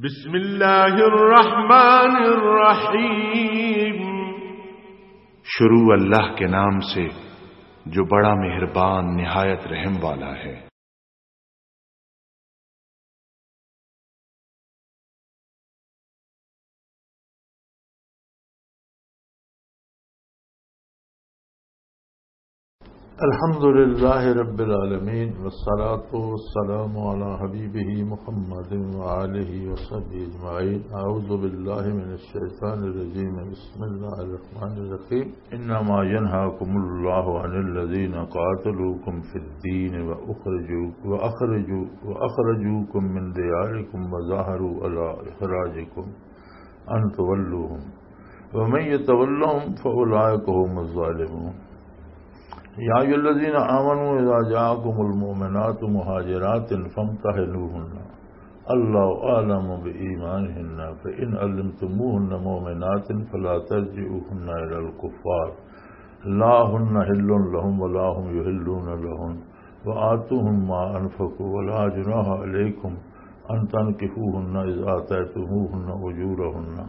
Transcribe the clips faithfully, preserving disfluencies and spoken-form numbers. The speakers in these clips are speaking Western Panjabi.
بسم اللہ الرحمن الرحیم۔ شروع اللہ کے نام سے جو بڑا مہربان نہایت رحم والا ہے۔ الحمد لله رب العالمين، والصلاة والسلام على حبيبه محمد وآله وصحبه أجمعين. أعوذ بالله من الشيطان الرجيم. بسم الله الرحمن الرحيم. إنما ينهاكم الله عن الذين قاتلوكم في الدين وأخرجوا-، وأخرجوا-، وأخرجوكم من دياركم وظاهروا على إخراجكم أن تولوهم ومن يتولهم فأولئك هم الظالمون. يا أيها الذين آمنوا إذا جاءكم المؤمنات مهاجرات فامتحنوهن، الله أعلم بإيمانهن، فإن علمتموهن مؤمنات فلا ترجعوهن إلى الكفار، لا هن حل لهم ولا هم يحلون لهن، وآتوهم ما أنفقوا، ولا جناح عليكم أن تنكحوهن إذا آتيتموهن أجورهن،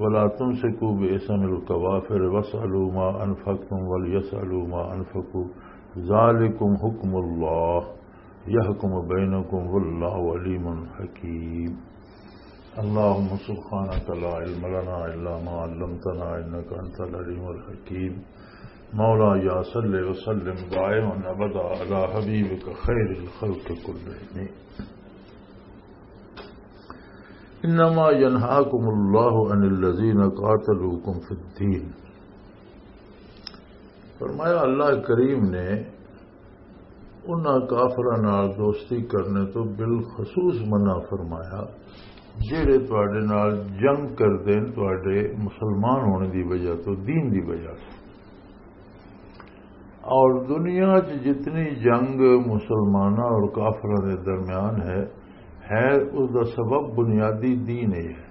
ولا تمسكوا بإثم الكوافر، واسألوا ما أنفقتم وليسألوا ما أنفقوا، ذلكم حكم الله، يحكم بينكم، والله عليم حكيم. اللهم سبحانك لا علم لنا إلا ما علمتنا إنك أنت العليم الحكيم. مولاي صل وسلم دائما أبدا على حبيبك خير الخلق كلهم. إنما ينهاكم الله عن الذين قاتلوكم في الدين. فرمایا اللہ کریم نے انہاں کافراں نال دوستی کرنے تو بالخصوص منع فرمایا، جڑے تواڈے نال جنگ کردے نے تواڈے مسلمان ہونے دی وجہ تو، دین دی وجہ تو۔ اور دنیا چ جتنی جنگ مسلماناں اور کافراں دے درمیان ہے، ہے اس دا سبب بنیادی دین ہی ہے۔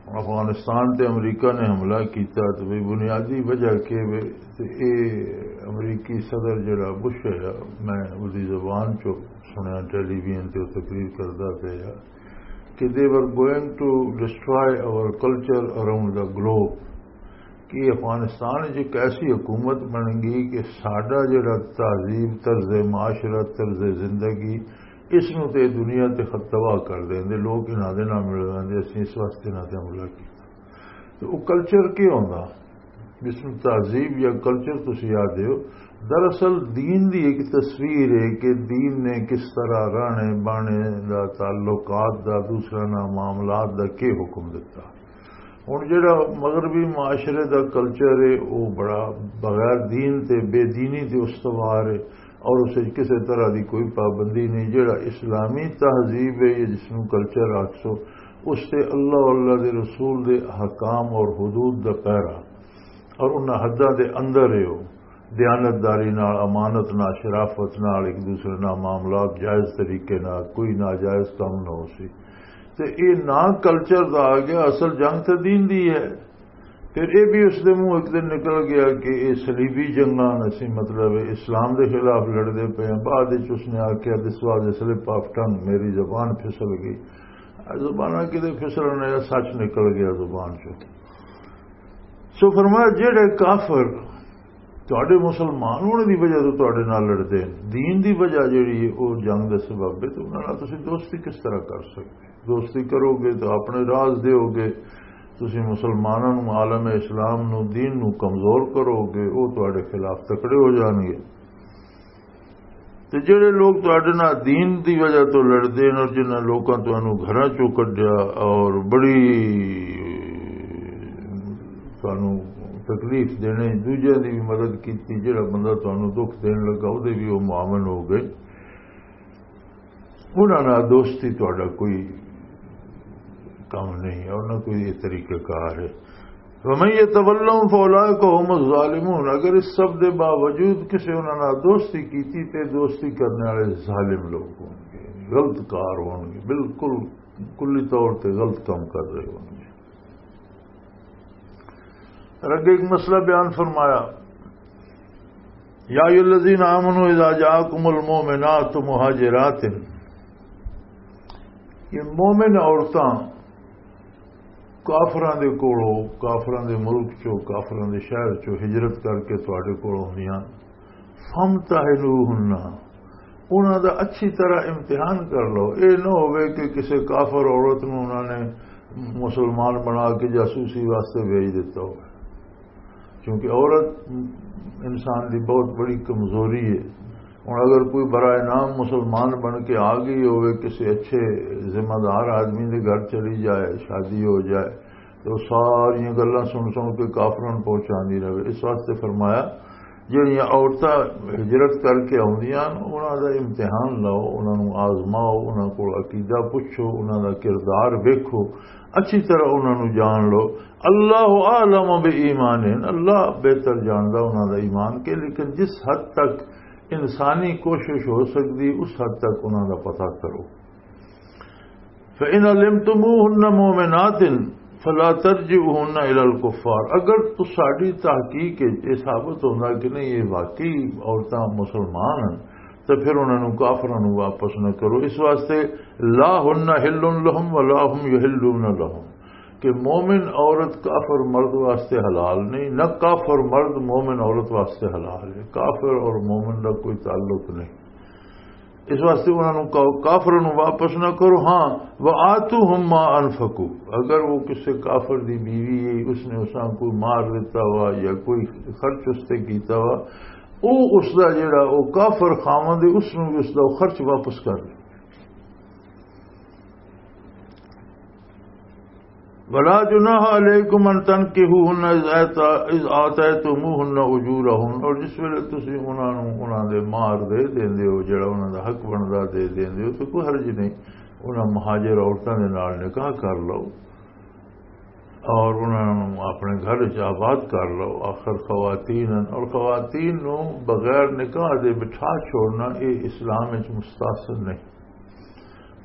افغانستان تے امریکہ نے حملہ کیتا تے بھئی بنیادی وجہ کی وے؟ تے اے امریکی صدر جڑا بش ہے، میں اس دی زبان چوں سنیا ٹیلی ویژن تے او تقریر کردا پیا کہ they were going to destroy our culture around the globe، کہ افغانستان وچ ایک ایسی حکومت بن گئی کہ ساڈا جڑا تہذیب، طرز معاشرت، طرز زندگی، اس نوں تے دنیا تے خط تباہ کر دیندے۔ لوگ انہاں دے نال مل ویندے، اسی اس واسطے انہاں تے حملہ کیتا۔ تے او کلچر کی ہوندا؟ جس نوں تہذیب یا کلچر تسی آدھے ہو، دراصل دین دی ایک تصویر ہے کہ دین نے کس طرح رہنے بانے دا، تعلقات دا، دوسرے نال معاملات دا کی حکم دتا۔ ہن جڑا مغربی معاشرے دا کلچر ہے، او بڑا بغیر دین تے بے دینی تے استوار ہے، اور اسے کسے طرح دی کوئی پابندی نہیں۔ جڑا اسلامی تہذیب ہے یا جس نوں کلچر آکھسو، اس تے اللہ، اللہ دے رسول دے احکام اور حدود دا پیرا، اور انہاں حداں دے اندر ہے، او دیانتداری نال، امانت نال، شرافت نال، ایک دوسرے نال معاملات جائز طریقے نال، کوئی ناجائز کام نہ ہو سی۔ تے اے نا کلچر دا آ گیا، اصل جنگ تے دین دی ہے۔ پھر اے بھی اس دے منہ ایک دن نکل گیا کہ اے صلیبی جنگاں، اسی مطلب اسلام دے خلاف لڑدے پے ہیں۔ بعد وچ اس نے آکھیا، "This was a slip of tongue، میری زبان پھسل گئی۔" زباناں کدے پھسلن، یا سچ نکل گیا زبان چوں۔ سو فرمایا، جڑے کافر تہاڈے مسلمان ہونے دی وجہ تو تہاڈے نال لڑدے ہیں، دین دی وجہ جڑی ہے، او جنگ دا سبب ہے، تے انہاں نال تسی دوستی کس طرح کر سکدے؟ دوستی کرو گے تو اپنے راز دیو گے، تسی مسلماناں نوں، عالم اسلام نوں، دین نوں کمزور کرو گے، او تہاڈے خلاف تکڑے ہو جان گے۔ تے جڑے لوگ تہاڈے نال دین دی وجہ تو لڑدے نے اور جنہاں لوکاں تانوں گھراں چوں کڈیا اور بڑی تانوں تکلیف دینے، دوجیاں دی بھی مدد کیتی، جڑا بندہ تانوں دکھ دین لگا، او دے بھی او معاون ہو گئے۔ انہاں نال دوستی تہاڈا کوئی کم نہیں ہے، انہاں کوئی یہ طریقہ کار ہے۔ وَمَن يَتَوَلَّهُمْ فَأُولَٰئِكَ هُمُ الظَّالِمُونَ۔ اگر اس سب دے باوجود کسے انہاں نال دوستی کیتی تے دوستی کرنے والے ظالم لوگ ہون گے، غلط کار ہون گے، بالکل کلی طور تے غلط کام کر رہے ہون گے۔ اور اگے ایک مسئلہ بیان فرمایا، یا ایھا الذین آمنوا اذا جاءکم المؤمنات مہاجرات، یہ مومن عورتاں کافراں دے کولوں، کافراں دے ملک چوں، کافراں دے شہر چوں ہجرت کر کے تواڈے کول آوندیاں، فامتحنوہن، انہاں دا اچھی طرح امتحان کر لو۔ اے نہ ہووے کہ کسے کافر عورت نوں انہاں نے مسلمان بنا کے جاسوسی واسطے بھیج دیتا ہووے، کیونکہ عورت انسان دی بہت بڑی کمزوری ہے۔ ہن اگر کوئی برائے نام مسلمان بن کے آ گئی ہوئے کسی اچھے ذمہ دار آدمی دے گھر چلی جائے، شادی ہو جائے، تو ساری گلاں سن سن کے کافراں نوں پہنچاندی رہے۔ اس واسطے فرمایا، جہڑیاں عورتاں ہجرت کر کے آوندیاں، انہاں دا امتحان لو، انہاں نوں آزماؤ، انہاں کول عقیدہ پوچھو، انہاں دا کردار ویکھو، اچھی طرح انہاں نوں جان لو۔ اللہ اعلم بہ ایمان، اللہ بہتر جاندا انہاں دا ایمان کے، لیکن جس حد تک انسانی کوشش ہو سکدی، اس حد تک انہاں دا پتہ کرو۔ فَإِنْ عَلِمْتُمُوهُنَّ مُؤْمِنَاتٍ فَلَا تَرْجِعُوهُنَّ إِلَى الْكُفَّارِ، اگر تساڈی تحقیق وچ یہ ثابت ہوندا کہ نہیں، یہ واقعی عورتاں مسلمان ہیں، تو پھر انہاں نوں، کافراں نوں واپس نہ کرو۔ اس واسطے لا هُنَّ حِلٌّ لَهُمْ وَلَا هُمْ يَحِلُّونَ لَهُنَّ، کہ مومن عورت کافر مرد واسطے حلال نہیں، نہ کافر مرد مومن عورت واسطے حلال ہے۔ کافر اور مومن دا کوئی تعلق نہیں۔ اس واسطے انہاں نوں کا-، کافراں نوں واپس نہ کرو۔ ہاں، وَآتُوهُمْ مَا أَنْفَقُوا، اگر وہ کسے کافر دی بیوی ہے، اس نے اساں کوئی مار دیتا وا یا کوئی خرچ اس تے کیتا وا، او اس دا جڑا او کافر خاوند ہے، اس نوں بھی اس دا خرچ واپس کر دے۔ ولا جناح علیکم ان تنکحوہن اذ آتا-، اذ آتیتموہن اجورہن، اور جس ویلے تسی انہاں نوں انہاں دے مہر دے دیندے ہو، جڑا انہاں دا حق بندا دے دیندے ہو، تو کوئی حرج نہیں۔ انہاں مہاجر عورتاں دے نال نکاح کر لو اور انہاں نوں اپنے گھر وچ آباد کر لو۔ آخر خواتین ہن، اور خواتین نوں بغیر نکاح دے بٹھا چھوڑنا، اے اسلام وچ مستحسن نہیں۔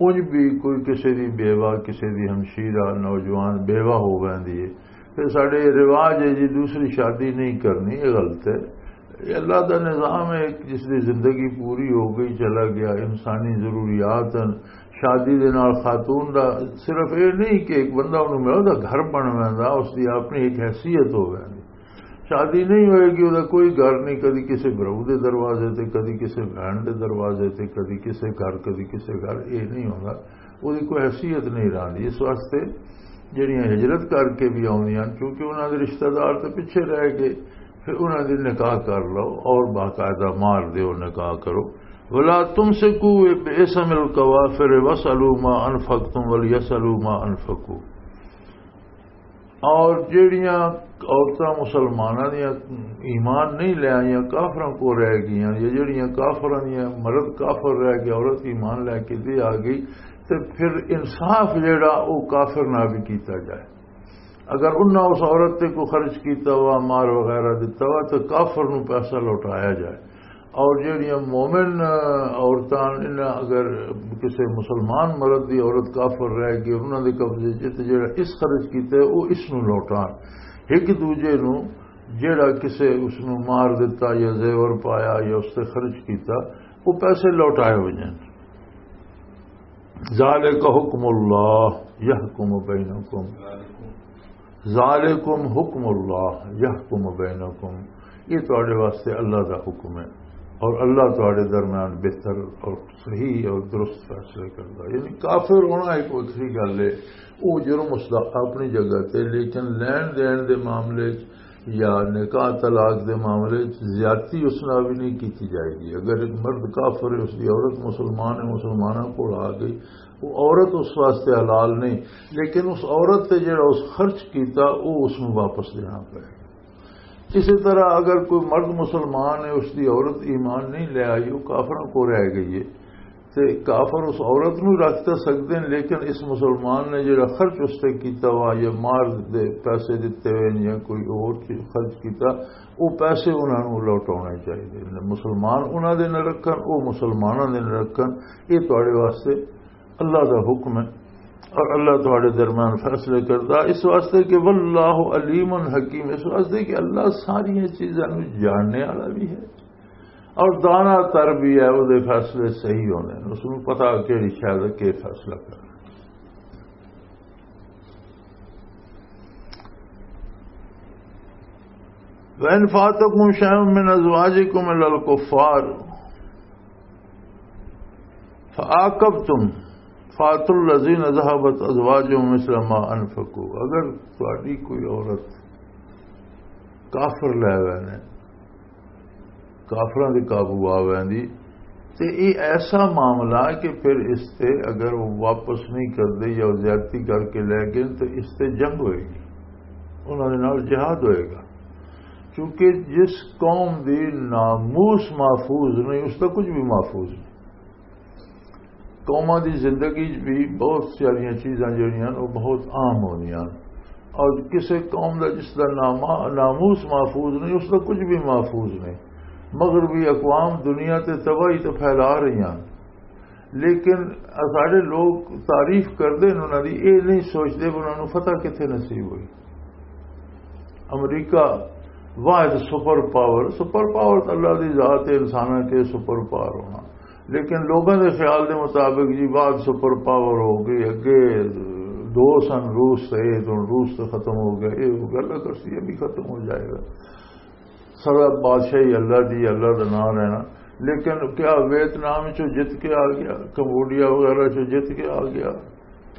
انج بھی کوئی کسے دی بیوہ، کسے دی ہمشیرہ، نوجوان بیوہ ہو ویندی ہے، تے ساڈے رواج ہے جی دوسری شادی نہیں کرنی، یہ غلط ہے۔ یہ اللہ دا نظام ہے، جس دی زندگی پوری ہو گئی، چلا گیا، انسانی ضروریات ہیں۔ شادی دے نال خاتون دا صرف یہ نہیں کہ ایک بندہ انہوں ملے، دا گھر بن ویندا، اس دی اپنی ایک حیثیت ہو ویندی۔ شادی نہیں ہوئے گی، وہ کوئی گھر نہیں، کدی کسی بہو دے دروازے تے، کدی کسی بہن دے دروازے تے، کدی کسی گھر، کدی کسی گھر، یہ نہیں ہوتا۔ وہ کوئی حیثیت نہیں رہندی۔ اس واسطے جڑیاں ہجرت کر کے بھی آؤندیاں، چونکہ انہاں دے رشتہ دار تے پیچھے رہ گئے، پھر انہاں دی نکاح کر لو اور باقاعدہ مہر دیو، نکاح کرو۔ ولا تمسکوا بعصم الکوافر واسألوا ما انفقتم ولیسألوا ما انفقوا۔ اور جڑیاں عورتاں مسلماناں دیاں ایمان نہیں لے آئیاں، کافراں کو رہ گئیاں، یا جڑیاں کافراں دیاں، مرد کافر رہ گیا، عورت ایمان لے کے دے آ گئی، تے پھر انصاف جڑا او کافر نہ بھی کیتا جائے۔ اگر انہاں اس عورت تے کوئی خرچ کیتا ہوا، مار وغیرہ دتا ہوا، تو کافر نو پیسہ لوٹایا جائے۔ اور جڑیاں مومن عورتاں، انہاں اگر کسی مسلمان مرد دی عورت کافر رہ گئی، انہاں دے قبضے چ، تے جڑا اس خرچ کیتا ہے، وہ اس نو لوٹان۔ ایک دوجے نو، جڑا کسے اس نو مار دتا یا زیور پایا یا اس تے خرچ کیتا، وہ پیسے لوٹائے ہو جائیں۔ ذالک حکم اللہ یحکم بینکم، ذالکم حکم اللہ یحکم بینکم، یہ تواڈے واسطے اللہ دا حکم ہے اور اللہ تواڈے درمیان بہتر اور صحیح اور درست فیصلے کردا۔ یعنی کافر ہونا ایک وکھری گل ہے، وہ جرم اس دا اپنی جگہ تے، لیکن لین دین دے معاملے چ یا نکاح طلاق دے معاملے چ زیادتی اس نال بھی نہیں کیتی جائے گی۔ اگر ایک مرد کافر ہے، اس دی عورت مسلمان ہے، مسلماناں کول آ گئی، وہ عورت اس واسطے حلال نہیں، لیکن اس عورت تے جڑا اس خرچ کیتا، وہ اس نوں واپس دینا پڑے۔ اسی طرح اگر کوئی مرد مسلمان ہے، اس دی عورت ایمان نہیں لے آئی، وہ کافراں کو رہ گئی ہے، تے کافر اس عورت نوں رکھ تے سکدے ہیں، لیکن اس مسلمان نے جڑا خرچ اس تے کیتا ہوا یا مار دے پیسے دتے ہوئے یا کوئی اور چیز خرچ کیتا، وہ پیسے انہاں نوں لوٹانے چاہیے۔ مسلمان انہاں دے نہ رکھن، وہ مسلماناں دے نہ رکھن۔ یہ تواڈے واسطے اللہ دا حکم ہے اور اللہ تواڈے درمیان فیصلے کردا، اس واسطے کہ واللہ علیم حکیم، اس واسطے کہ اللہ ساری چیزاں نوں جاننے والا بھی ہے اور دانا تر بھی ہے، وہ دے فیصلے صحیح ہونے ہیں، اس نوں پتہ کہڑی شے دا کی فیصلہ کرنا۔ وَإِنْ فَاتَكُمْ شَيْءٌ مِّنْ أَزْوَاجِكُمْ إِلَى الْكُفَّارِ فَعَاقَبْتُمْ فَآتُوا الَّذِينَ ذَهَبَتْ أَزْوَاجُهُمْ مِثْلَ مَا أَنْفَقُوا۔ اگر تہاڈی کوئی عورت کافر لے وینے، کافراں دے قابو آ ویندی، تے یہ ایسا معاملہ کہ پھر اس تے اگر وہ واپس نہیں کردے یا وہ زیادتی کر کے لے گئے تو اس تے جنگ ہوئے گی، انہاں دے نال جہاد ہوئے گا۔ کیونکہ جس قوم دی ناموس محفوظ نہیں، اس دا کچھ بھی محفوظ نہیں۔ قوماں دی زندگی 'چ بھی بہت ساریاں چیزاں جڑیاں وہ بہت عام ہوندیاں، اور کسے قوم دا جس دا ناما-، ناموس محفوظ نہیں، اس دا کچھ بھی محفوظ نہیں۔ مغربی اقوام دنیا تے تباہی تو پھیلا رہی ہیں، لیکن ساڈے لوگ تعریف کردے نے انہاں دی، اے نہیں سوچدے کہ انہاں نوں فتح کتھے نصیب ہوئی۔ امریکہ واحد سپر پاور، سپر پاور تو اللہ دی ذات ہے، انساناں کے سپر پاور ہونا، لیکن لوگوں دے خیال دے مطابق جی واحد سپر پاور ہو گئی، اگے دو سن روس تے، اے تو روس تو ختم ہو گیا، اے ہو گیا، اللہ کرسی یہ بھی ختم ہو جائے گا۔ سارا بادشاہی اللہ دی، اللہ دا نام رہنا۔ لیکن کیا ویتنام چوں جت کے آ گیا، کمبوڈیا وغیرہ چوں جت کے آ گیا،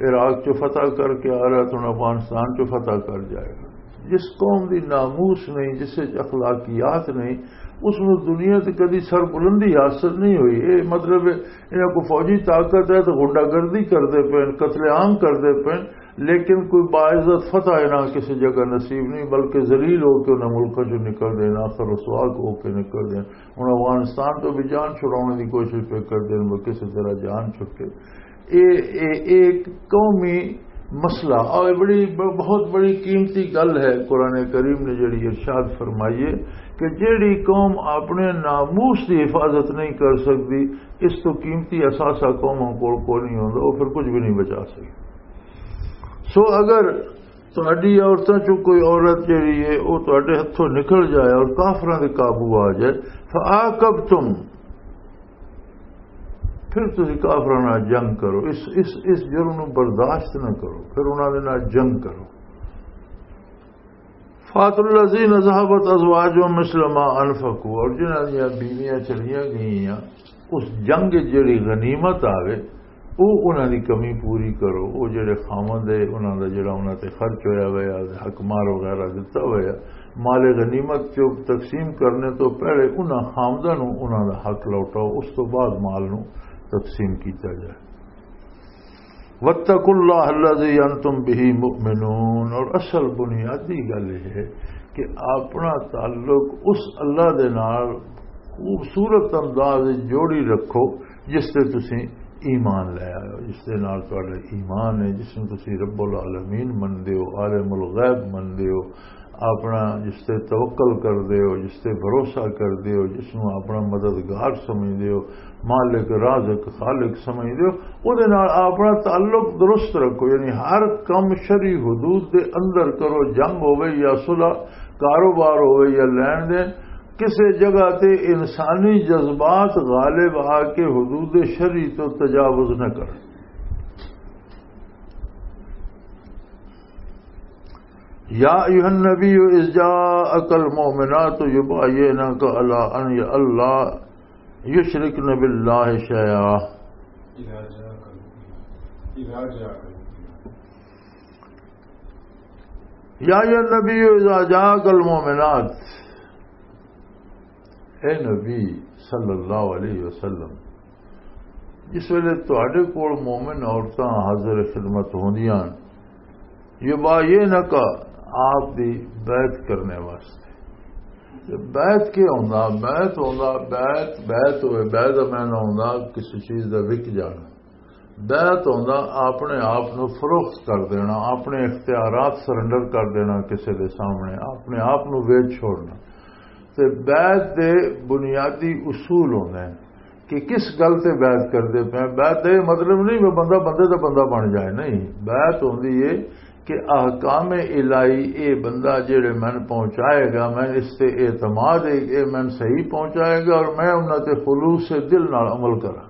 عراق چوں فتح کر کے آ رہا تو ہن افغانستان چوں فتح کر جائے گا؟ جس قوم دی ناموس نہیں، جس وچ اخلاقیات نہیں، اس نوں دنیا تے کدی سربلندی حاصل نہیں ہوئی۔ اے مطلب ہے، انہاں کو فوجی طاقت ہے تو غنڈہ گردی کردے پئے، قتل عام کردے پئے، لیکن کوئی باعزت فتح انہاں کسی جگہ نصیب نہیں، بلکہ ذلیل ہو کے انہاں ملکاں چوں نکل دین، آخر رسوا ہو کے نکل دین۔ ہن افغانستان تو بھی جان چھڑاؤن دی کوشش پہ کر دین، وہ کسی طرح جان چھٹے۔ اے، اے، اے ایک قومی مسئلہ اور بڑی، بہت بڑی قیمتی گل ہے۔ قرآن کریم نے جڑی ارشاد فرمائی ہے کہ جڑی قوم اپنے ناموس دی حفاظت نہیں کر سکتی، اس تو قیمتی اثاثہ قوموں کول کوئی نہیں ہوندا، وہ پھر کچھ بھی نہیں بچا سکتی۔ سو اگر تہاڈی عورتاں چوں کوئی عورت جڑی ہے، وہ تہاڈے ہتھوں نکل جائے اور کافراں دے قابو آ جائے، فعاقبتم، پھر تسی کافراں نال جنگ کرو، اس، اس، اس جرم نوں برداشت نہ کرو، پھر انہاں دے نال جنگ کرو۔ فاتوا الذین ذهبت ازواجهم مثل ما انفقوا، اور جنہاں دیاں بیویاں چلیاں گئیاں اس جنگ وچ جڑی غنیمت آوے، او انہاں دی کمی پوری کرو۔ او جڑے خاوند ہے، انہاں دا جڑا انہاں تے خرچ ہویا ہویا، حق مار وغیرہ دتا ہویا، مال غنیمت چ تقسیم کرنے تو پہلے انہاں خاونداں نوں انہاں دا حق لوٹاؤ، اس تو بعد مال نوں تقسیم کیتا جائے۔ وَاتَّقُوا اللَّهَ الَّذِي أَنْتُمْ بِهِ مُؤْمِنُونَ۔ اور اصل بنیادی گل یہ ہے کہ اپنا تعلق اس اللہ دے نال خوبصورت انداز وچ جوڑی رکھو، جس تے تسی ایمان لے آئے ہو، جس دے نال تہاڈا ایمان ہے، جس نوں تسی رب العالمین مندے ہو، عالم الغیب مندے ہو، اپنا جس تے توکل کردے ہو، جس تے بھروسہ کردے ہو، جس نوں اپنا مددگار سمجھدے ہو، مالک رازق خالق سمجھدے ہو، او دے نال اپنا تعلق درست رکھو۔ یعنی ہر کم شرعی حدود دے اندر کرو، جنگ ہوے یا صلح، کاروبار ہوے یا لین دین، کسے جگہ تے انسانی جذبات غالب آ کے حدود شرعی تو تجاوز نہ کرو۔ یا ایھا النبی اذ جاءک المؤمنات یبایعنک علی ان لا یشرکن باللہ شیئا۔ یا ایھا النبی اذا جاءک المؤمنات، اے نبی صلی اللہ علیہ وسلم، جس ویلے تہاڈے کول مومن عورتاں حاضر خدمت ہوندیاں، یبایعنک، آپ دی بیعت کرنے واسطے۔ تے بیعت کی ہوندا؟ بیعت ہوندا، بیعت، بیعت ہوئے، بیعت دا معنی ہوندا کسی چیز دا وک جانا۔ بیعت ہوندا اپنے آپ نو فروخت کر دینا، اپنے اختیارات سرنڈر کر دینا کسی دے سامنے، اپنے آپ نو ویچ چھوڑنا۔ تے بیعت دے بنیادی اصول ہوندے ہیں کہ کس گل تے بیعت کردے پے ہیں۔ بیعت دا یہ مطلب نہیں کہ بندہ بندے دا بندہ بن جائے، نہیں۔ بیعت ہوندی ہے کہ احکام الہی، اے بندہ جڑے میں پہنچائے گا، میں اس تے اعتماد ہے، اے میں صحیح پہنچائے گا اور میں انہاں تے خلوص دل نال عمل کراں۔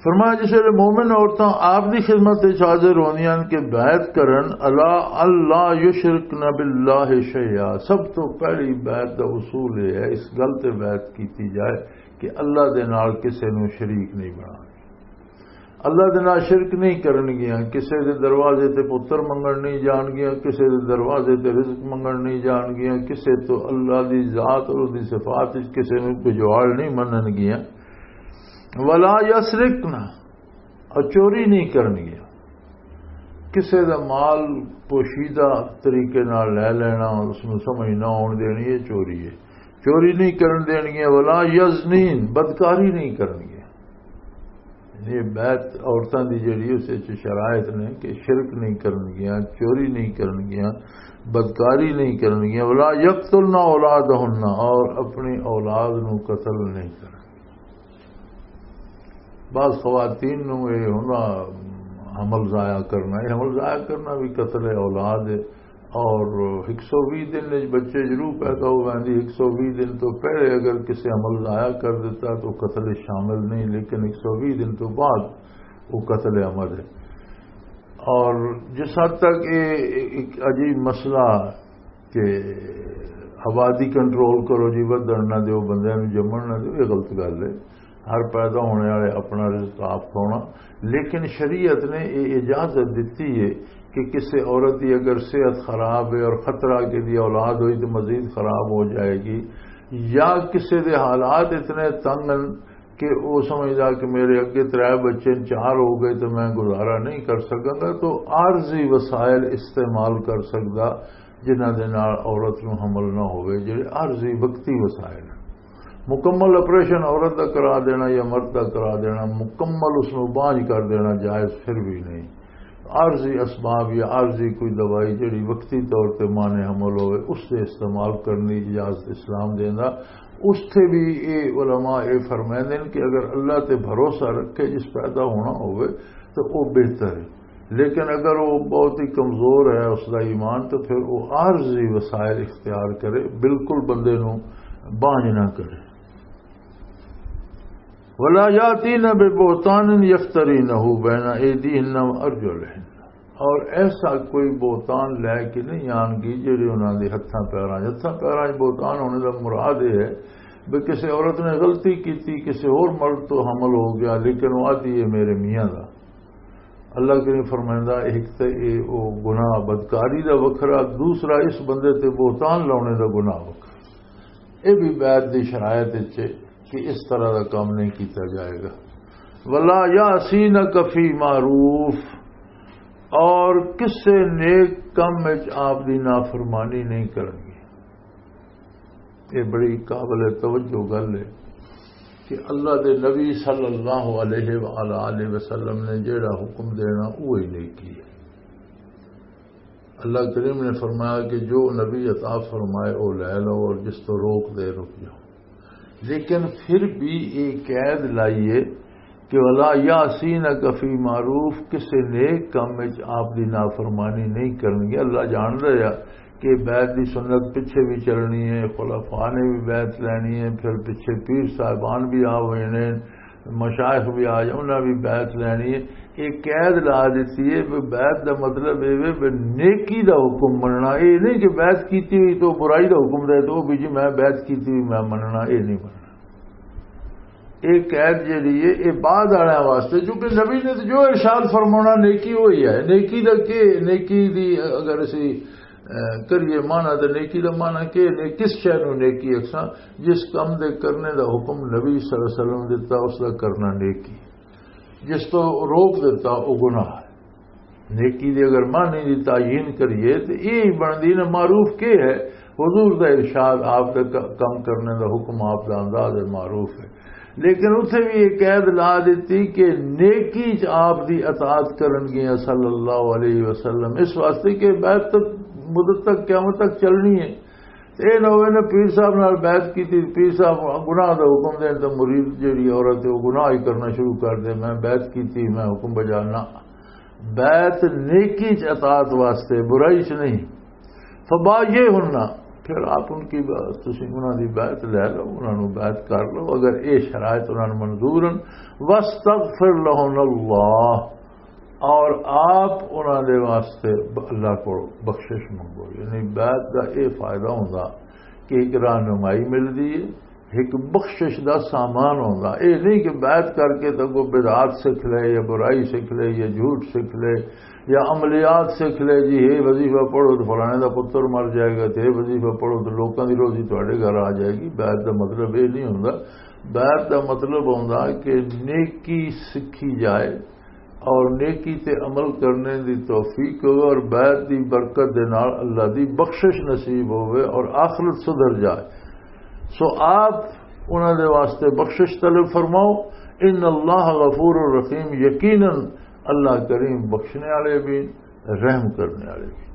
فرمایا، جس ویلے مومن عورتاں آپ دی خدمت وچ حاضر ہوندیاں ہن کہ بیعت کرن، الا اللہ یشرکن باللہ شیئا، سب تو پہلی بیعت دا اصول یہ ہے، اس گل تے بیعت کیتی جائے کہ اللہ دے نال کسے نوں شریک نہیں بنانا۔ اللہ دے نال شرک نہیں کرن گیاں، کسے دے دروازے تے پتر منگن نہیں جان گیاں، کسے دے دروازے تے رزق منگن نہیں جان گیاں، کسے تو اللہ دی ذات اور دی صفات وچ کسے نوں پجواڑ نہیں منن گیاں۔ ولا یسرقن، اور چوری نہیں کرن گیاں۔ کسے دا مال پوشیدہ طریقے نال لے لینا، اس نوں سمجھ نہ آن دینی، یہ چوری ہے۔ چوری نہیں کرن دین گیاں۔ ولا یزنین، بدکاری نہیں کرن گیاں۔ یہ بیعت عورتاں دی جڑی اس وچ شرائط نے کہ شرک نہیں کرن گیاں، چوری نہیں کرن گیاں، بدکاری نہیں کرن گیاں۔ ولا یقتلن اولادہن، اور اپنی اولاد نو قتل نہیں کرن۔ بعض خواتین نو یہ ہونا حمل ضائع کرنا، یہ حمل ضائع کرنا بھی قتل اولاد ہے۔ اور ایک سو وی دن وچ بچے ضرور پیدا ہو ویندی، ایک سو وی دن تو پہلے اگر کسی عمل ضائع کر دیتا تو قتل شامل نہیں، لیکن ایک سو وی دن تو بعد وہ قتل عمل ہے۔ اور جس حد تک یہ ایک عجیب مسئلہ کہ آبادی کنٹرول کرو جی، ودھن نہ دیو، بندیاں نوں جمن نہ دیو، یہ غلط گل ہے۔ ہر پیدا ہونے والے اپنا رزق آپ کھانا، لیکن شریعت نے یہ اجازت دیتی ہے کہ کسی عورت کی اگر صحت خراب ہے اور خطرہ کہ دی اولاد ہوئی تو مزید خراب ہو جائے گی، یا کسی دے حالات اتنے تنگ ہیں کہ وہ سمجھدا کہ میرے اگے ترے بچے نے، چار ہو گئے تو میں گزارا نہیں کر سکاں گا، تو عارضی وسائل استعمال کر سکدا، جنہاں دے نال عورت نوں حمل نہ ہوئے، جڑے عارضی وقتی وسائل ہیں۔ مکمل آپریشن عورت دا کرا دینا یا مرد دا کرا دینا، مکمل اس نوں بانجھ کر دینا جائز پھر بھی نہیں۔ عارضی اسباب یا عارضی کوئی دوائی جڑی وقتی طور تے مانع حمل ہوئے، اس دے استعمال کرنے کی اجازت اسلام دیندا۔ اس تے بھی اے علماء اے فرمائندے نے کہ اگر اللہ تے بھروسہ رکھے، جس پیدا ہونا ہوئے، تو وہ بہتر ہے۔ لیکن اگر وہ بہت ہی کمزور ہے اس دا ایمان، تو پھر وہ عارضی وسائل اختیار کرے، بالکل بندے نوں بانجھ نہ کرے۔ ولا یاتین ببہتان یفترینہ بین ایدیہن و ارجلہن، اور ایسا کوئی بہتان لے کے نہیں آن گی جڑے انہاں دے ہتھاں پیراں، ہتھاں پیراں 'چ بہتان ہونے دا مراد یہ ہے بھی کسی عورت نے غلطی کیتی، کسی اور مرد تو حمل ہو گیا، لیکن وہ آدھی ہے میرے میاں دا۔ اللہ کریم فرمائندا، ایک تے اے او گناہ بدکاری دا وکھرا، دوسرا اس بندے تے بہتان لاؤنے دا گناہ وکھرا۔ اے بھی بیعت دی شرائط وچ ہے کہ اس طرح دا کام نہیں کیتا جائے گا۔ ولا یعصینک فی معروف، اور کسے نیک کم وچ آپ دی نافرمانی نہیں کرنگی۔ یہ بڑی قابل توجہ گل ہے کہ اللہ دے نبی صلی اللہ علیہ وآلہ وسلم نے جیڑا حکم دینا، وہی نیکی ہے۔ اللہ کریم نے فرمایا کہ جو نبی عطا فرمائے، وہ لے لو، اور جس تو روک دے، رک جاؤ۔ لیکن پھر بھی یہ قید لائیے کہ ولا یعصینک فی معروف، کسے نیک کام وچ آپ دی نافرمانی نہیں کرنگے۔ اللہ جان رہا کہ بیعت دی سنت پچھے بھی چلنی ہے، خلفاء نے بھی بیعت لینی ہے، پھر پچھے پیر صاحبان بھی آ ہوئے نے، مشائخ بھی آ جائے، انہاں بھی بیعت لینی ہے۔ یہ قید لا دیتی ہے بھی بیعت دا مطلب یہ ہے بھی نیکی دا حکم مننا، یہ نہیں کہ بیعت کیتی ہوئی تو برائی دا حکم دے تو بھی جی میں بیعت کیتی ہوئی میں مننا، یہ نہیں مننا۔ یہ قید جڑی ہے، یہ بعد والے واسطے، چونکہ نبی نے تو جو ارشاد فرمانا نیکی وہی ہے۔ نیکی دا کی؟ نیکی دی اگر اسی، اے، کریے معنی، تو نیکی دا معنی کی نے؟ کس شے نو نیکی اکساں؟ جس کم دے کرنے دا حکم نبی صلی اللہ علیہ وسلم دیتا، اس دا کرنا نیکی، جس تو روک دیتا، وہ گناہ ہے۔ نیکی دی اگر معنی دی تعین کریے تو یہ بندی نے معروف کے ہے؟ حضور دا ارشاد، آپ دا ک-، کم کرنے دا حکم، آپ دا انداز معروف ہے۔ لیکن اتھے بھی یہ قید لا دیتی کہ نیکی چ آپ دی اطاعت کرن گیا صلی اللہ علیہ وسلم، اس واسطے کہ بیعت تک، مدت تک، قیامت تک چلنی ہے۔ تے اے نہ ہوئے نہ پیر صاحب نال بیعت کیتی، پیر صاحب گناہ دا حکم دین تے مرید جیڑی عورت ہے، وہ گناہ ہی کرنا شروع کر دے، میں بیعت کیتی، میں حکم بجا نہ۔ بیعت نیکی چ اطاعت واسطے، برائی چ نہیں۔ فبایعہن، پھر آپ ان کی بات، تسی انہاں دی بیعت لے لو، انہاں نوں بیعت کر لو، اگر اے شرائط انہاں نوں منظور ہن۔ وَاسْتَغْفِرْ لَهُمْ اللَّهُ، اور آپ انہاں دے واسطے ب-، اللہ کو بخشش منگو۔ یعنی بیعت دا اے فائدہ ہوندا کہ ایک رہنمائی ملدی ہے، ایک بخشش دا سامان ہوندا۔ اے نہیں کہ بیعت کر کے تے کوئی بدعات سکھ لے یا برائی سکھ لے یا جھوٹ سکھ لے یا عملیات سکھ لے، جی یہ وظیفہ پڑھو تو فلانے دا پتر مر جائے گا، تے یہ وظیفہ پڑھو تو لوکاں دی روزی تواڈے گھر آ جائے گی۔ بیعت دا مطلب یہ نہیں ہوندا۔ بیعت دا مطلب ہوندا کہ نیکی سکھی جائے اور نیکی تے عمل کرنے دی توفیق ہوئے اور بیعت دی برکت دے نال اللہ دی بخشش نصیب ہوئے اور آخرت سدھر جائے۔ سو آپ انہاں دے واسطے بخشش طلب فرماؤ۔ ان اللہ غفور الرحیم، یقیناً اللہ کریم بخشنے والے بھی، رحم کرنے والے بھی۔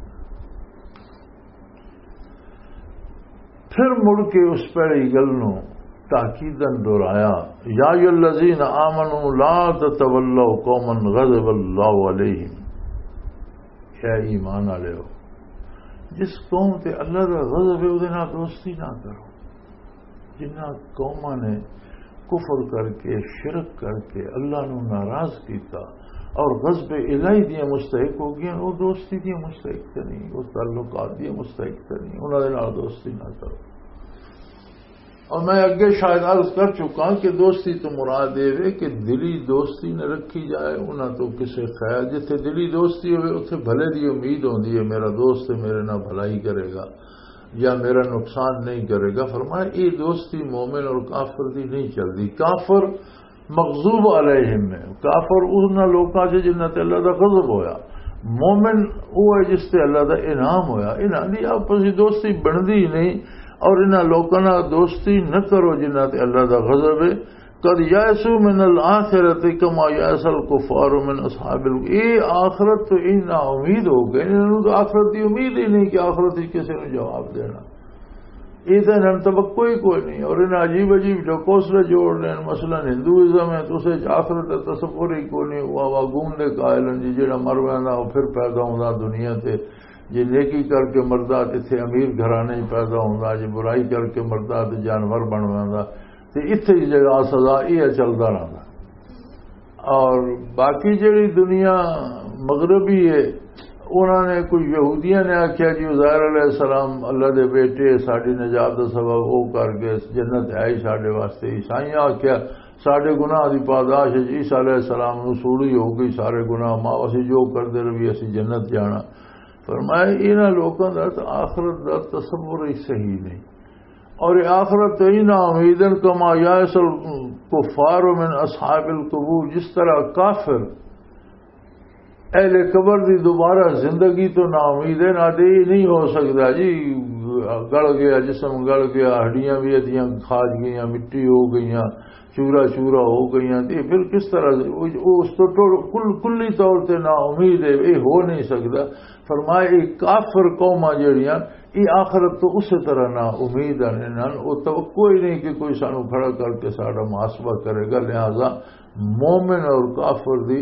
پھر مڑ کے اس پہلی گل نو تاکیدن دہرایا، یا ایھا الذین آمنوا لا تتولوا قوما غضب اللہ علیہم۔ اے ایمان والے ہو، جس قوم تے اللہ دا غضب ہے، اودے نال دوستی نہ کرو۔ جنہاں قوماں نے کفر کر کے، شرک کر کے اللہ نو ناراض کیتا اور غضب الہی دیاں مستحق ہو گئیاں، وہ دوستی دیاں مستحق تے نہیں، وہ تعلقات دیاں مستحق تے نہیں، انہاں دے نال دوستی نہ کرو۔ اور میں اگے شاید عرض کر چکا کہ دوستی تو مراد یہ ہے کہ دلی دوستی نہ رکھی جائے، انہاں تو کسے خیر، جتھے دلی دوستی ہوئے، اتھے بھلے دی امید ہوندی ہے، میرا دوست ہے، میرے نال بھلائی کرے گا یا میرا نقصان نہیں کرے گا۔ فرمایا، یہ دوستی مومن اور کافر دی نہیں چلدی۔ کافر مغضوب علیہم ہے، کافر انہاں لوکاں سے جنہاں تے اللہ دا غضب ہویا۔ مومن وہ ہے جس تے اللہ دا انعام ہویا۔ انہاں دی آپسی دوستی بندی ہی نہیں، اور انہاں لوکاں نال دوستی نہ کرو جنہاں تے اللہ دا غضب ہے۔ قد یئسوا من الآخرۃ کما یئس الکفار من اصحاب ال-، اے آخرت تو اتنا امید ہو گئے، انہاں نوں تو آخرت دی امید ہی نہیں کہ آخرت وچ کسے نوں جواب دینا۔ یہ تو انہاں نوں توقع ہی کوئی نہیں۔ اور انہاں عجیب عجیب جو کوسلے جوڑ لین، مثلاً ہندوازم ہے تو اسے آخرت دا تصور ہی کوئی نہیں۔ وہ آواگون دے قائل ہیں جی، جڑا مر ویندا وہ پھر پیدا ہوندا دنیا تے، جی نیکی کر کے مردا تے اتھے امیر گھرانے ہی پیدا ہوندا، جی برائی کر کے مردا تے جانور بن ویندا، تے اتھے ہی جگہ سزا یہ چلدا رہندا۔ اور باقی جڑی دنیا مغربی ہے، انہاں نے، کوئی یہودیاں نے آکھیا جی عزیر علیہ السلام اللہ دے بیٹے، ساڈی نجات دا سبب او کر گئے، جنت ہے ہی ساڈے واسطے۔ عیسائیاں آکھیا ساڈے گناہ دی پاداش ہے، عیسیٰ علیہ السلام نو سوڑی ہو گئی، سارے گناہ معاف، اسی جو کردے رہی اسی جنت جانا۔ فرمایا انہاں لوکاں دا تے آخرت دا تصور ہی صحیح نہیں۔ اور یہ آخرت تو ہی نا امید ہے، کما یائس الکفار من اصحاب القبور، جس طرح کافر اہل قبر دی دوبارہ زندگی تو نا امید ہے، نہ دے یہ نہیں ہو سکتا جی، گل گیا جسم، گل گیا، ہڈیاں بھی ادیاں کھاج گئیاں، مٹی ہو گئیاں، چورا چورا ہو گئیاں، تے پھر کس طرح وہ، وہ اس تو ٹو-، کل-، کلی طور تے نا امید ہے، یہ ہو نہیں سکتا۔ فرمایا یہ کافر قوماں جڑیاں، یہ آخرت تو اسی طرح نا امید ہیں، انہاں نوں توقع ہی نہیں کہ کوئی سانو کھڑا کر کے ساڈا محاسبہ کرے گا۔ لہذا مومن اور کافر دی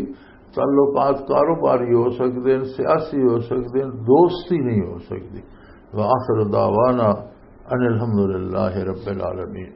تعلقات کاروباری ہو سکتے ہیں، سیاسی ہو سکتے ہیں، دوستی نہیں ہو سکتی۔ وآخر دعوانا ان الحمد للہ رب العالمین۔